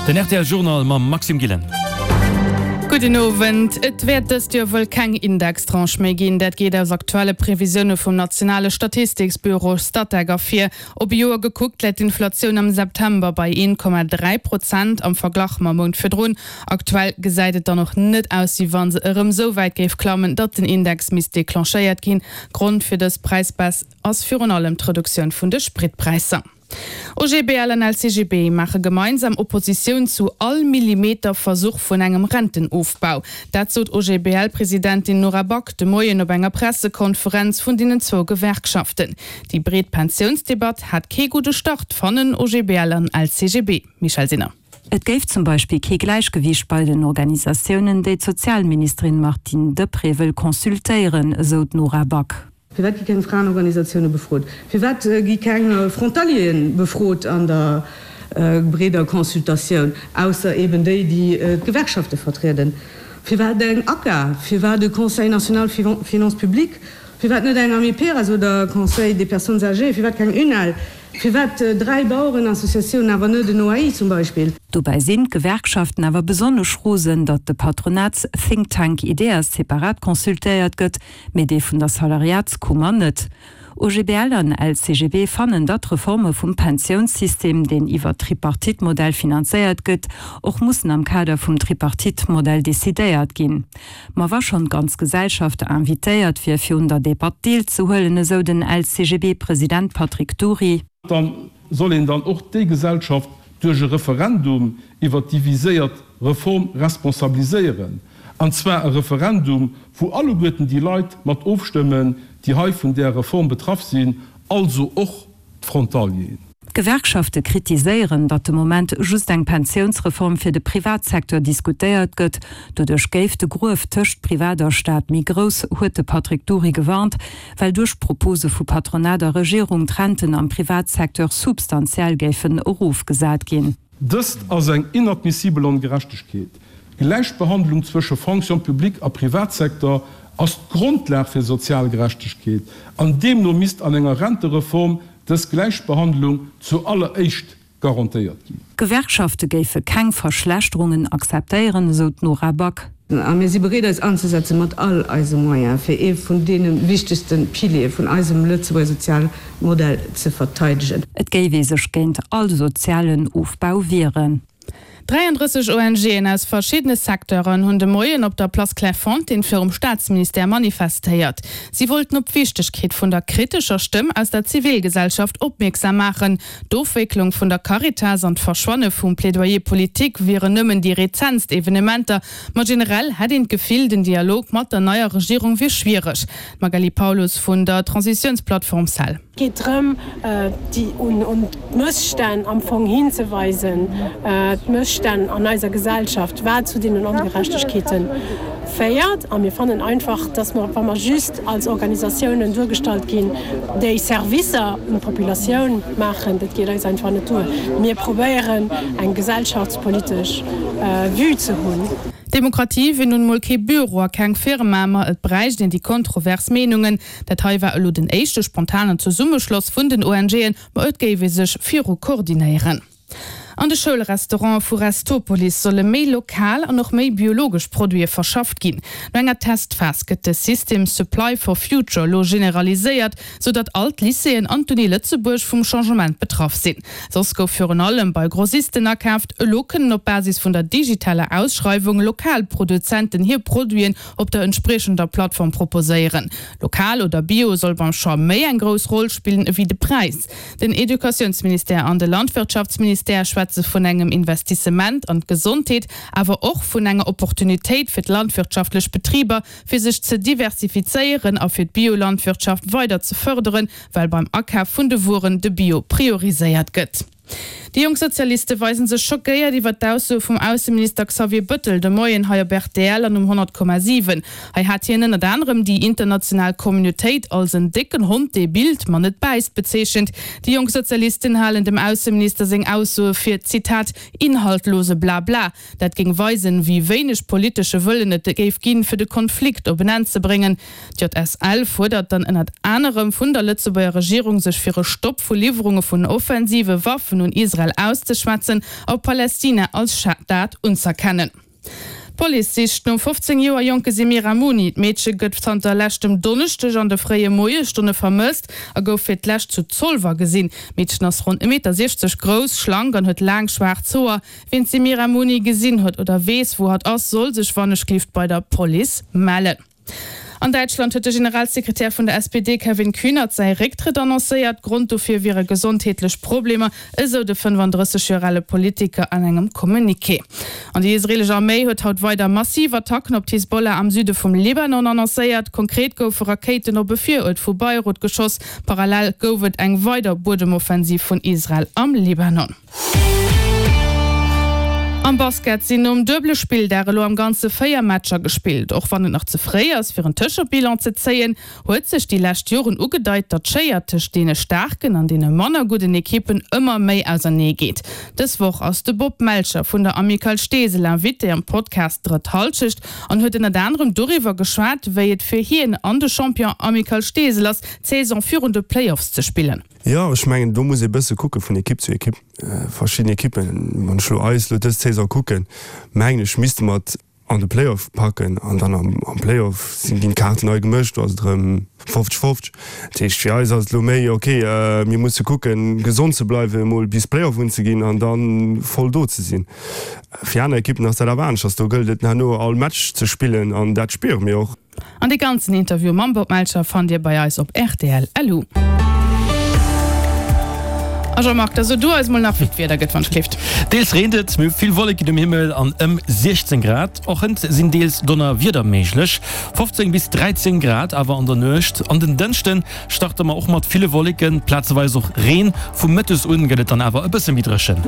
Den rtl Journal mam Maxime Gillen. Gudden Owend. Et wäert dëst Joer wuel keng Indextranche méi ginn. Dat geet aus aktuelle Previsioune vum nationale Statistiksbüro Statec ervir. Op e Joer gekuckt läit d'Inflatioun am September bei 1,3 Prozent am Verglach mam Mount virdrun. Aktuell gesäit et dann och net aus, wéi wa se erëm esou wäit géif klammen, datt den Index misst declenchéiert ginn. Grond fir dës Präisbaisse ass virun allem d'Reduktioun vun de Spritpräisser. OGBL an LCGB maache gemeinsam Oppositioun zu all Millimeter Versuch vun engem Rentenofbau. Dat sot OGBL-Presidentin Nora Back de Moien op enger Pressekonferenz vun deenen zwou Gewerkschaften. Déi breet Pensiounsdebatt hat kee gudde Start, fannen OGBL an LCGB. Michèle Sinner. Et géif zum Beispill kee Gläichgewiicht bei den Organisatiounen, déi d'Sozialministerin Martine Deprez wëll consultéieren, esou d'Nora Back. Firwat gi keng Fraenorganisatioune befrot? Firwat gi keng Frontalieren befrot an der breeder Consultatioun, ausser eben déi, déi d'Gewerkschafte vertrieden? Firwat eng ACA? Firwat e Conseil national finances publiques? Firwat net eng Amiperas oder Conseil des personnes âgées? Firwat keng UNEL? Firwat 3 Bauerenassociatiounen, awer net en OAI zum Beispill? Dobäi sinn d'Gewerkschaften awer besonnesch rosen, datt de Patronats-Think-Tank Ideas separat consultéiert gëtt, mee dee vun der Salariatskummer net. OGBL an LCGB fannen, datt d'Reforme vum Pensiounssystem, deen iwwert Tripartite-Modell finanzéiert gëtt, och mussen am Kader vum Tripartite-Modell decidéiert ginn. Ma wa schonn d'ganz Gesellschaft invitéiert wier, fir un der Debatt deelzehuelen, esou den LCGB-President Patrick Dury. Da soll een dann och déi Gesellschaft duerch e Referendum iwwert déi viséiert Reform responsabiliséieren. An zwar e Referendum, wou alleguerten déi Leit mat ofstëmmen, déi hei vun där Reform betraff sinn, also och d'Frontalieren. D'Gewerkschafte kritiséieren, datt de Moment just eng Pensiounsreform fir de Privatsecteur diskutéiert gëtt. Doduerch géif de Gruef tëscht Privat a Staat méi grouss, huet de Patrick Dury gewarnt, well duerch d'Propose vu Patronat a Regierung d'Renten am Privatsecteur substantiell géifen erofgesat ginn. Dëst ass eng inadmissibel Ongerechtegkeet. D'Gläichbehandlung zwësche Fonction publique a Privatsecteur ass d'Grondlag fir sozial Gerechtegkeet an deemno misst an enger Rentereform dës Gläichbehandlung zu alleréischt garantéiert ginn. D'Gewerkschafte géife keng Verschlechterungen akzeptéieren, esou d'Nora Back. A mir si bereet eis anzesetze mat all eise Moyen, fir ee vun deene wichtegste Piliere vun eisem Lëtzebuerger Sozialmodell ze verteidegen. Et géif ee sech géint all sozialen Ofbau wieren. 33 ONGen aus verschiddene Secteuren hunn de Moien op der Place Clairefontaine virum Staatsministère manifestéiert. Si wollten op d'Wichtegkeet vun der kritescher Stëmm aus der Zivilgesellschaft opmierksam maachen. D'Ofwécklung vun der Caritas an d'Verschwanne vum Plaidoyer politique wieren nëmmen déi rezentst Evenementer, ma generell hätt een d'Gefill, den Dialog mat der neier Regierung wier schwiereg. D'Magali Paulus vun der Transitiounsplattform cell. Et geet drëm, déi un d'Mësstänn am Fong hinzeweisen, d'Mësstänn an eiser Gesellschaft, wat zu deenen Ongerechtegkeete féiert. A mir fannen einfach, dass mer, wa mer just als Organisatiounen duergestallt ginn, déi Servicer un d'Populatioun maachen, dat geet eis einfach net duer. Mir probéieren, eng gesellschaftspolitesch Vue ze hunn. D'Demokratie wier nun emol kee Büro a keng Firma, ma et bräicht een déi kontrovers Meenungen. Dat hei war elo den éischte spontanen Zesummeschloss vun den ONGen, ma et géif ee sech viru koordinéieren. An de Schoulrestaurante vu Restopolis solle méi lokal an och méi biologesch Produite verschafft ginn. No enger Testphas gëtt de System Supply for Future elo generaliséiert, sou datt all d'Lycéeën an d'Uni Lëtzebuerg vum Changement betraff sinn. Soss gouf virun allem bei Grossisten akaaft, elo kënnen op Basis vun der digitaler Ausschreiwung lokal Produzenten hir Produiten op der entspriechender Plattform proposéieren. Lokal oder Bio soll beim Choix méi eng grouss Roll spillen ewéi de Präis. Den Educatiounsministère an de Landwirtschaftsministère schwätze vun engem Investissement an d'Gesondheet, awer och vun enger Opportunitéit fir d'landwirtschaftlech Betriber, fir sech ze diversifizéieren a fir d'Biolandwirtschaft weider ze fërderen, well beim Akaf vun de Wueren de Bio prioriséiert gëtt. Déi jonk Sozialiste weisen sech schockéiert iwwer d'Aussoe vum Ausseminister Xavier Bëttel de Moien hei op rtl an um 100,7. Hei hat hien ënnert anerem déi international Communautéit als en décken Hond, dee billt, ma net bäisst bezeechent. Déi jonk Sozialisten halen dem Ausseminister seng Aussoe fir, Zitat, inhaltlose Blabla. Dat géing weisen, wéi wéineg politesche Wëllen et géif ginn, fir de Konflikt op en Enn ze bréngen. D'JSL fuerdert dann ënnert anerem vun der Lëtzebuerger Regierung, sech fir e Stopp vu Liwwerunge vun offensive Waffen un Israel. Israel auszeschwätzen a Palästina als Staat unz'erkennen. D'Police sicht nom 15 Joer jonke Semira Muni. D'Meedche gëtt zanter leschtem Donneschdeg an de fréie Moiesstonne vermësst a gouf fir d'lescht zu Zolwer gesinn. D'Meedchen ass ronn e Meter 60 grouss, schlank an huet laang schwaarz Hoer. Ween d'Semira Muni gesinn huet oder weess, wou hatt ass, soll sech wannechgelift bei der Police mellen. An Däitschland huet de Generalsekretär vun der SPD Kevin Kühnert säi Récktrëtt annoncéiert. Grond dofir wiere gesondheetlech Problemer, esou de 35 Joer ale Politiker an engem Communiqué. An déi israeelesch Arméi huet haut weider massiv Attacken op d'Hisbollah am Süde vum Libanon annoncéiert. Konkret goufe Rakéiten op e Viruert vu Beirut geschoss. Parallel gouf et eng weider Buedemoffensiv vun Israel am Libanon. Am Basket sinn nom duebele Spilldag elo am Ganze 4 Matcher gespillt. Och wann et nach ze fréi ass fir en Tëschebilan ze zéien, huet sech déi lescht Joren ugedeit, datt d'Schéier tëscht deene staarken an deene manner gudden Ekippen ëmmer méi ausernee geet. Dës Woch ass de Bob Melcher vun der Amicale Steesel Invité am Podcast Drëtt Halschecht an huet ënnert anerem doriwwer geschwat, wéi et fir hien an de Champion Amicale Steesel ass, d'Saison virun de Playoffs ze spillen. Jo, ech mengen, do muss ee bësse kucke vun Ekipp zu Ekipp. Verschidden Ekippen, wann ech elo eis elo dës Saison kucken, mengen ech, misste mer et an de Playoff packen an dann am Playoff sinn ginn d'Kaarten nei gemëscht, do ass et erëm 50, 50. Dat heescht, fir eis ass et elo méi, ok, mir musse kucken, gesond ze bleiwen, emol bis Playoff unzeginn an da voll do ze sinn. Fir aner Ekippen ass dat awer aneschters, do gëllt et herno all Match ze spillen an dat spiere mir och. An dee ganzen Interview mam Bob Melcher fannt Dir bei eis op rtl. Lu. A Jean-Marc, da so du eis mol nach wéi d'Wieder gëtt, wann d'schléift. Deels reent et, mir hu vill Wolleken um Himmel an ëm 16 Grad. Och hënt sinn deels Donnerwieder méiglech, 15 bis 13 Grad awer an der Nuecht. An den Dënschde starte mer och mat ville Wolleken, plazeweis och Reen. Vu Mëttes un gëtt et dann awer e bësse méi dréchen.